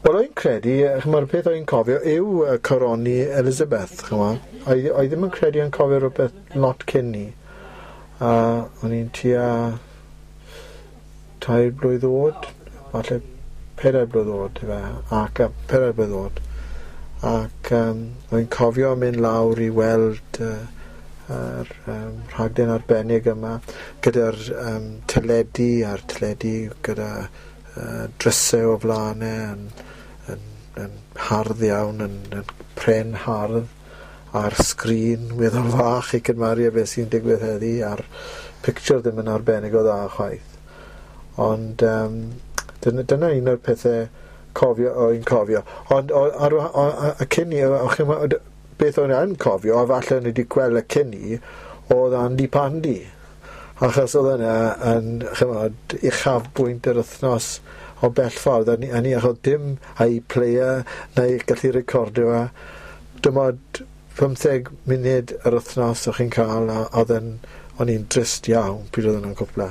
Wel, o'n credu, ch'mod, y peth o'n cofio yw coroni Elizabeth, ch'mod. Oedd ddim yn credu yn cofio rhywbeth lot cyn 'ny. A o'n i'n tua 3 blwydd o'd, falle 4 blwydd o'd yfe, ac 4 blwydd o'd. Ac o'n cofio mynd lawr i weld yr rhaglen arbennig yma gyda'r teledu a'r teledu gyda drysau o flaen e yn hardd iawn, yn pren hardd, a'r sgrin weddol fach i cymharu â beth sy'n digwydd heddi, a'r picture ddim yn arbennig o dda chwaith. Ond dyna un o'r pethau cofio, o'n cofio. Ond ar y cyn i, beth o'n i'n cofio, a falle o'n i wedi gweld y cyn i, oedd Andy Pandy. Achos oedd yna yn, ch'mod, uchafbwynt yr wythnos o bell ffordd. A ni achos dim iPlayer neu gallu recordio fe. Dim ond 15 munud yr wythnos o'ch chi'n cael, a oedd yn, o'n i'n drist iawn pryd oedd hwnna'n cwpla.